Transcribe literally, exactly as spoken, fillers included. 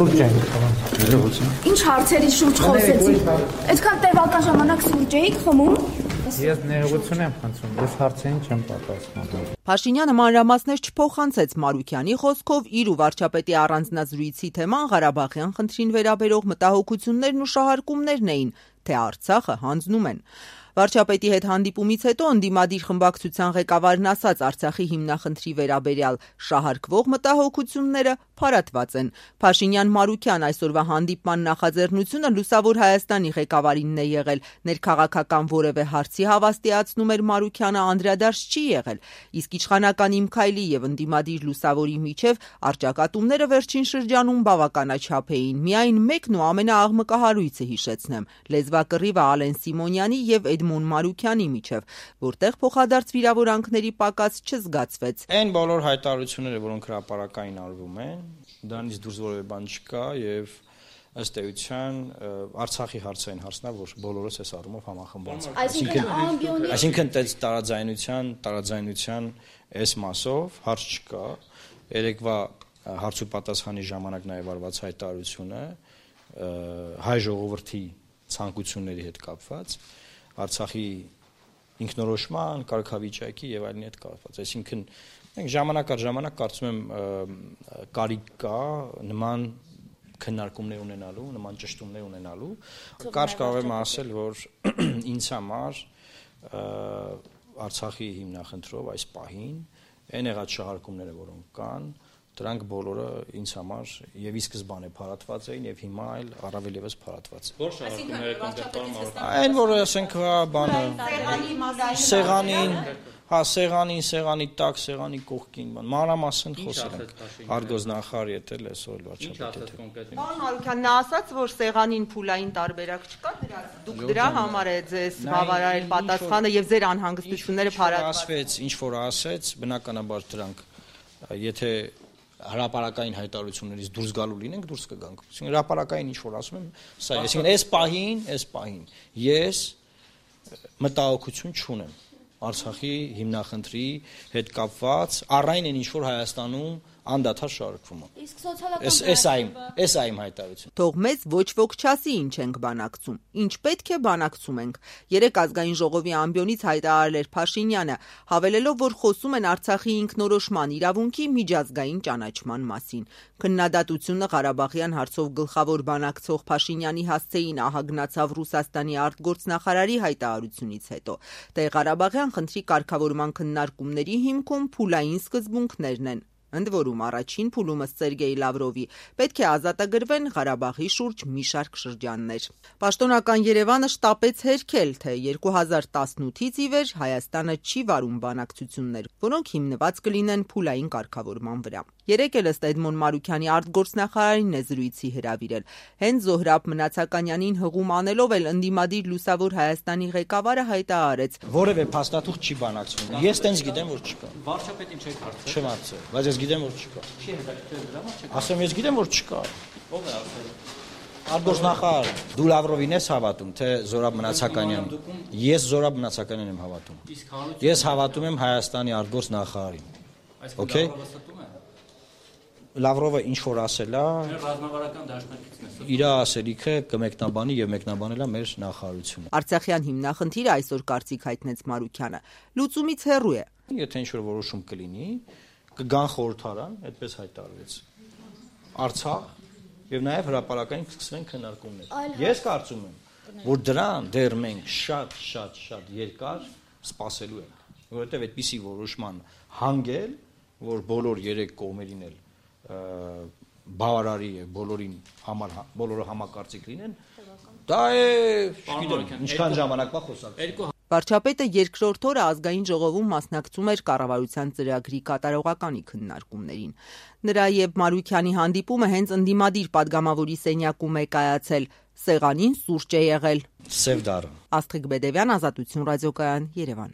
Սուրճ ենք խմում։ Ինչ հարցերի շուրջ խոսեցիք։ Այդքան տևական ժամանակ սուրճ էիք խմում։ Ես ներողություն եմ խնդրում, ես հարցերին չեմ պատասխանում։ Փաշինյանը մանրամասներ չփոխանցեց Մարուքյանի խոսքով իր ու վարչապետի առանձնազրույցի թեման Ղարաբաղյան խնդրին վերաբերող մտահոգություններն ու շահարկումներն էին, թե Արցախը հանձնում են։ Վարչապետի հետ հանդիպումից հետո ընդդիմադիր խմբակցության ղեկավարն ասաց Արցախի հիմնախնդրի վերաբերյալ շահարկվող մտահոգությունները փարատված են։ Փաշինյան-Մարուքյան այսօրվա հանդիպման նախաձեռնությունը Լուսավոր Հայաստանի ղեկավարինն է եղել, ներքաղաքական որևէ հարցի հավաստիացնում էր Մարուքյանը անդրադարձ չի եղել, իսկ իշխանական Իմ Քայլի եւ ընդդիմադիր Լուսավորի միջև առճակատումները վերջին շրջանում բավականաչափ էին։ Միայն մեկն ու ամենաաղմկահարույցը հիշեցնեմ՝ լեզվակռիվը Ալեն Սիմոնյանի եւ Էդմոն Մարուքյանի միջև, որտեղ փոխադարձ վիրավորանքների պակաս չզգացվեց։ Այն բոլոր հայտարարությունները, որոնք հրապարակային արվում են, դրանից դուրս որևէ բան չկա եւ ըստ էության Արցախի հարցային հարցն է, որ բոլորս այս առումով համախմբված ենք։ Այսինքն, այսինքն տարաձայնության, տարաձայնության այս մասով հարց չկա։ Երեկվա հարց ու պատասխանի ժամանակ նաեւ արված հայտարարությունը հայ ժողովրդի ցանկությունների հետ կապված, Արցախի ինքնորոշման, կարգավիճակի եւ այլնի հետ կապված։ Այսինքն մենք ժամանակ առ ժամանակ կարծում եմ կարիք կա նման քննարկումներ ունենալու, նման ճշտումներ ունենալու։ Կարճ կարող եմ ասել, որ ինձ համար Արցախի հիմնախնդրով այս պահին այն եղած շահարկումները, որոնք կան, դրանք բոլորը ինձ համար եւ ի սկզբանե փարատված էին եւ հիմա այլ առավել եւս փարատված։ Որ շահարկումները կոնկրետ այն որ ասենք բանը սեղանին, հա սեղանին, սեղանի տակ, սեղանի կողքին, բան մանրամասն խոսել ենք։ Արգոզնախարարի հետ էլ այսօր վարչապետի հետ։ Պարոն Մարուքյան, նա ասաց, որ սեղանին փուլային տարբերակ չկա դրա։ Դուք դրա համար է ձեզ բավարարել պատասխանը եւ ձեր անհանգստությունները փարատված։ Ասվեց, ինչ որ ասեց, բնականաբար դրանք եթե հրապարակային հայտարարություններից դուրս գալու լինենք, դուրս կգանք։ Այսինքն հրապարակային ինչ որ ասում եմ, սա է, այսինքն այս պահին, այս պահին ես մտահոգություն չունեմ Արցախի հիմնախնդրի հետ կապված, առայն այն ինչ որ Հայաստանում անդադար շարժվում է։ Իսկ սոցիալական Էս այմ, էս այմ հայտարարություն։ Թող մեզ ոչ ոք չասի ինչ ենք բանակցում։ Ինչ պետք է բանակցում ենք։ Երեք ազգային ժողովի ամբիոնից հայտարարել էր Փաշինյանը, հավելելով, որ խոսում են Արցախի ինքնորոշման իրավունքի միջազգային ճանաչման մասին։ Քննադատությունը Ղարաբաղյան հարցով գլխավոր բանակցող Փաշինյանի հասցեին ահագնացավ Ռուսաստանի արտգործնախարարի հայտարարությունից հետո։ Դե Ղարաբաղյան խնդրի կարգավորման քննարկումների հիմքում փուլային սկզբունքներն են։ Ընդ որում առաջին փուլում ըստ Սերգեյ Լավրովի պետք է ազատագրվեն Ղարաբաղի շուրջ մի շարք շրջաններ։ Պաշտոնական Երևանը շտապեց հերքել, թե երկու հազար տասնութից ի վեր Հայաստանը չի վարում բանակցություններ, որոնք հիմնված կլինեն փուլային կարգավորման վրա։ Երեք էլ ըստ Էդմոն Մարուքյանի արտգործնախարարին է զրույցի հրավիրել։ Հենց Զոհրաբ Մնացականյանին հղում անելով էլ ընդդիմադիր Լուսավոր Հայաստանի ղեկավարը հայտարարեց. Որևէ փաստաթուղթ չի բանակցվում։ Ես տենց գիտեմ, որ չկա։ Վարչապետին չեք հարցրել։ Չեմ հարցրել, բայց ես գիտեմ, որ չկա։ Չի հետաքրքրել դրա համար չեք։ Ասեմ, ես գիտեմ, որ չկա։ Ո՞վ է ասել։ Արտգործնախարար, դու Լավրովին ես հավատում, թե Զորաբ Մնացականյանին։ Ես Զորաբ Մնացականյանին եմ հավատում։ Ես հավատում եմ Հայաստանի արտգործնախարարին։ Okay։ Լավրովը ինչ որ ասել է, ռազմավարական դաշնակիցն է։ Իր ասելիքը կմեկնաբանի եւ մեկնաբանել է մեր նախարարությունը։ Արցախյան հիմնախնդիրը այսօր կարծիք հայտնեց Մարուքյանը։ Լուծումից հեռու է։ Եթե ինչ որ որոշում կլինի, կգան խորհրդարան, այդպես հայտարարվեց։ Արցախ եւ նաեւ հրապարակային կսկսվեն քննարկումներ։ Ես կարծում եմ, որ դրան դեռ մենք շատ շատ շատ երկար սպասելու ենք, որովհետեւ այդպիսի որոշման հանգել, որ բոլոր երեք կողմերին էլ բավարարի է բոլորին համար բոլորը համակարծիք լինեն, դա է, չգիտեմ, ինչքան ժամանակվա խոսակ։ Վարչապետը երկրորդ օրը ազգային ժողովում մասնակցում էր կառավարության ծրագրի կատարողականի քննարկումներին։ Նրա եւ Մարուքյանի հանդիպումը հենց ընդդիմադիր падգամավորի սենյակում է կայացել։ Սեղանին սուրճ է եղել։ Սև դառը։ Աստղիկ Բեդևյան, Ազատություն ռադիոկայան, Երևան։